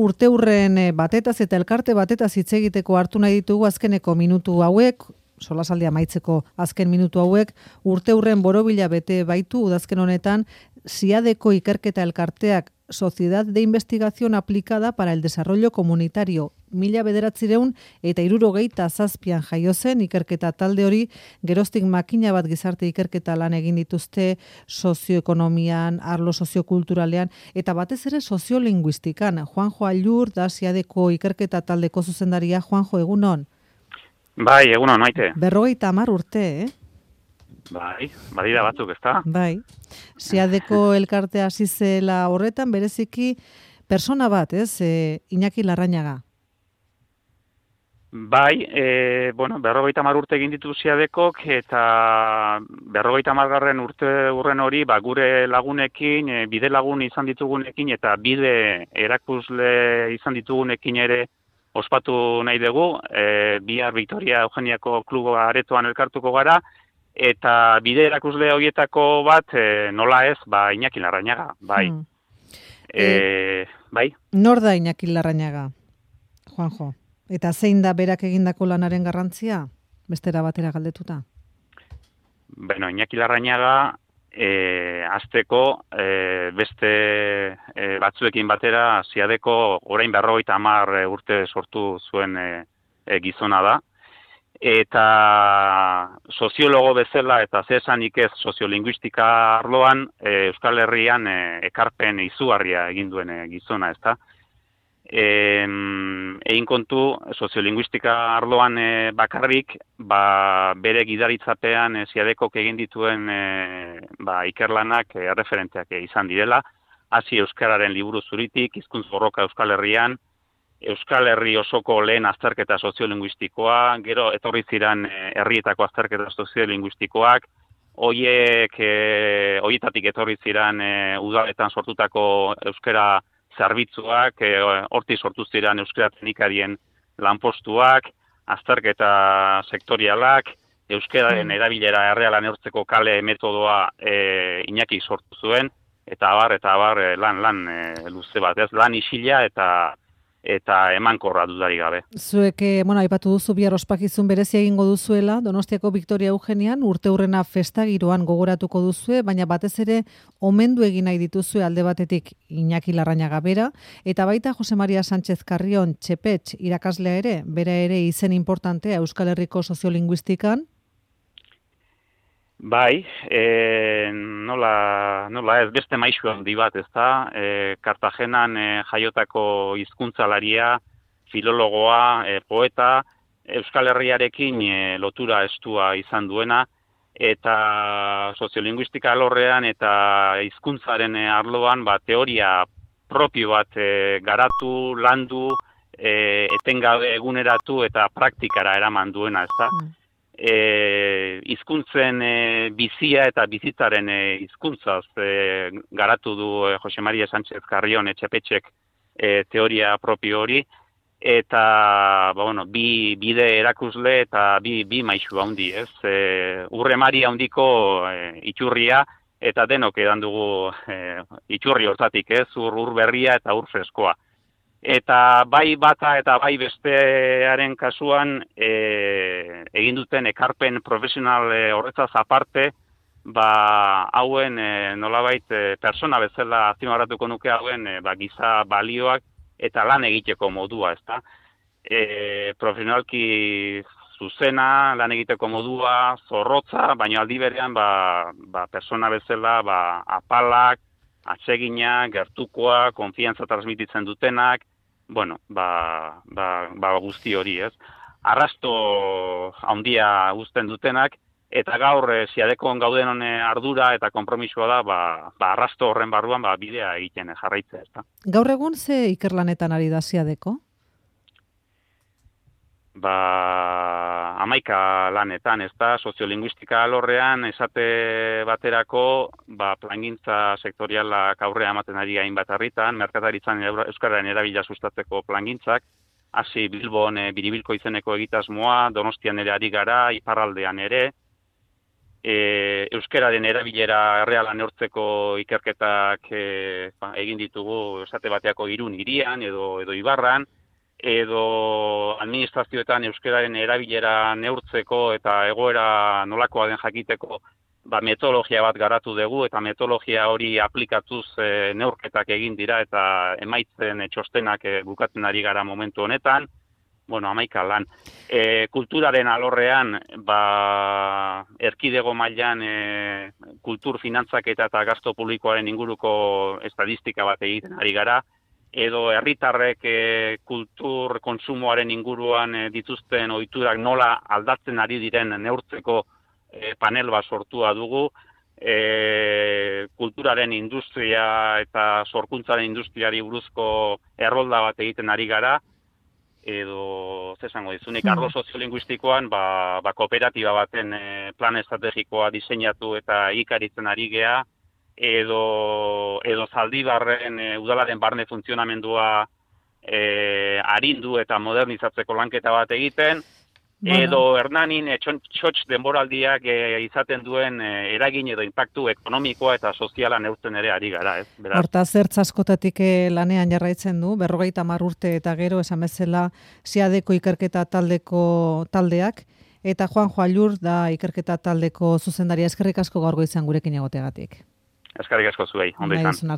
Urteurren batetaz eta elkarte batetaz hitz egiteko hartu nahi ditugu azkeneko minutu hauek, solasaldia amaitzeko azken minutu hauek, urteurren borobila bete baitu udazken honetan, SIADeko ikerketa elkarteak Sociedad de Investigación Aplicada para el Desarrollo Comunitario 1967 jaio zen ikerketa talde hori, geroztik makina bat gizarte ikerketa lan egin dituzte sozioekonomian, arlo soziokulturalean, eta batez ere soziolinguistikan. Juanjo Allur da SIADeko ikerketa taldeko zuzendaria. Juanjo, egunon? Bai, egunon, maite. 50 urte, Bai, badira batzuk, ezta? Bai. SIADeko elkartea hasi zela horretan, bereziki persona bat, Iñaki Larrañaga. Bai, 50 urte egin ditu SIADekok, eta 50. urren hori, gure lagunekin, bide lagun izan ditugunekin, eta bide erakusle izan ditugunekin ere ospatu nahi dugu. Bihar Victoria Eugeniako kluba aretoan elkartuko gara, eta bide erakusle horietako bat, nola ez, Iñaki Larrañaga, bai. Bai. Nor da Iñaki Larrañaga, Juanjo? Eta zein da berak egindako lanaren garrantzia? Bestera batera galdetuta. Iñaki Larrañaga, hasteko beste batzuekin batera SIADeko orain 50 urte sortu zuen gizona da. Eta soziologo bezala eta zesanik ez soziolinguistika arloan Euskal Herrian ekarpen izugarria egin duen gizona, ezta? Egin kontu soziolinguistika arloan bakarrik, bere gidaritzapean SIADekok egin dituen ikerlanak erreferenteak izan direla, hasi euskararen liburu zuritik, hizkuntz borroka Euskal Herrian, Euskal Herri osoko lehen azterketa soziolinguistikoa, gero etorri ziren herrietako azterketa soziolinguistikoak, horietatik etorri ziren udaletan sortutako euskara zerbitzuak, hortik sortu ziren euskara teknikarien lanpostuak, azterketa sektorialak, euskararen erabilera erreala neurtzeko kale metodoa Iñaki sortu zuen, eta abar lan luze bat, ez lan isila eta emankorra dudari gabe. Zuek, aipatu duzu bihar ospakizun berezia egingo duzuela, Donostiako Victoria Eugenian, urteurrena festa giroan gogoratuko duzue, baina batez ere omendu egin nahi dituzue alde batetik Iñaki Larrañaga bera, eta baita Jose Maria Sánchez Carrion Txepetx irakaslea ere, bera ere izen importantea Euskal Herriko soziolinguistikan. Bai, nola ez, beste maisu handi bat, ezta? Kartagenan jaiotako hizkuntzalaria, filologoa, poeta, Euskal Herriarekin lotura estua izan duena, eta soziolinguistika alorrean eta hizkuntzaren arloan teoria propio bat garatu, landu, etengabe eguneratu eta praktikara eraman duena, ezta? Hizkuntzen bizia eta bizitzaren hizkuntzaz garatu du Jose Maria Sánchez Carrion Txepetxek teoria propio hori, eta bi bide erakusle eta bi maisu handi, ez? Urremari handiko iturria, eta denok edan dugu iturri hortatik, ez? Ur berria eta ur freskoa. Eta bai bata eta bai bestearen kasuan egin duten ekarpen profesional horretzaz aparte, hauen nolabait persona bezala azpimarratuko nuke hauen giza balioak eta lan egiteko modua, ezta? Profesionalki zuzena, lan egiteko modua, zorrotza, baina aldi berean persona bezala apalak, atsegina, gertukoa, konfiantza transmititzen dutenak, guzti hori, ez? Arrasto handia uzten dutenak, eta gaur SIADekon gauden ardura eta konpromisoa da, arrasto horren barruan bidea egiten jarraitzea, ezta? Gaur egun ze ikerlanetan ari da SIADeko? 11 lanetan, ezta, soziolinguistika alorrean esate baterako, plangintza sektorialak aurrea ematen ari hainbat herritan, merkataritzan euskararen erabila sustatzeko plangintzak, hasi Bilbon Biribilko izeneko egitasmoa, Donostian ere ari gara, iparraldean ere, euskararen erabilera erreala neurtzeko ikerketak egin ditugu esate bateako Irun hirian edo Ibarran, edo administrazioetan euskararen erabilera neurtzeko eta egoera nolakoa den jakiteko metodologia bat garatu dugu, eta metodologia hori aplikatuz neurketak egin dira eta emaitzen txostenak bukatzen ari gara momentu honetan. 11 lan. Kulturaren alorrean, erkidego mailan kultur finantzaketa eta gasto publikoaren inguruko estadistika bat egiten ari gara, edo herritarrek kultur kontsumoaren inguruan dituzten ohiturak nola aldatzen ari diren neurtzeko panel bat sortua dugu, kulturaren industria eta sorkuntzaren industriari buruzko errolda bat egiten ari gara, edo, zesango dizunik, arlo soziolinguistikoan, kooperatiba baten plan estrategikoa diseinatu eta ikaritzen ari gea, edo Zaldibarren udalaren barne funtzionamendua arindu eta modernizatzeko lanketa bat egiten, edo Hernanin txotx denboraldiak izaten duen eragin edo inpaktu ekonomikoa eta soziala neurtzen ere ari gara, ez? Hortaz, zertz askotatik lanean jarraitzen du, 50 urte eta gero esan bezala SIADeko ikerketa taldeak, eta Juanjo Allur da ikerketa taldeko zuzendaria. Eskerrik asko gaur goizean gurekin egoteagatik. Eskerrik asko zuei, ondo izan.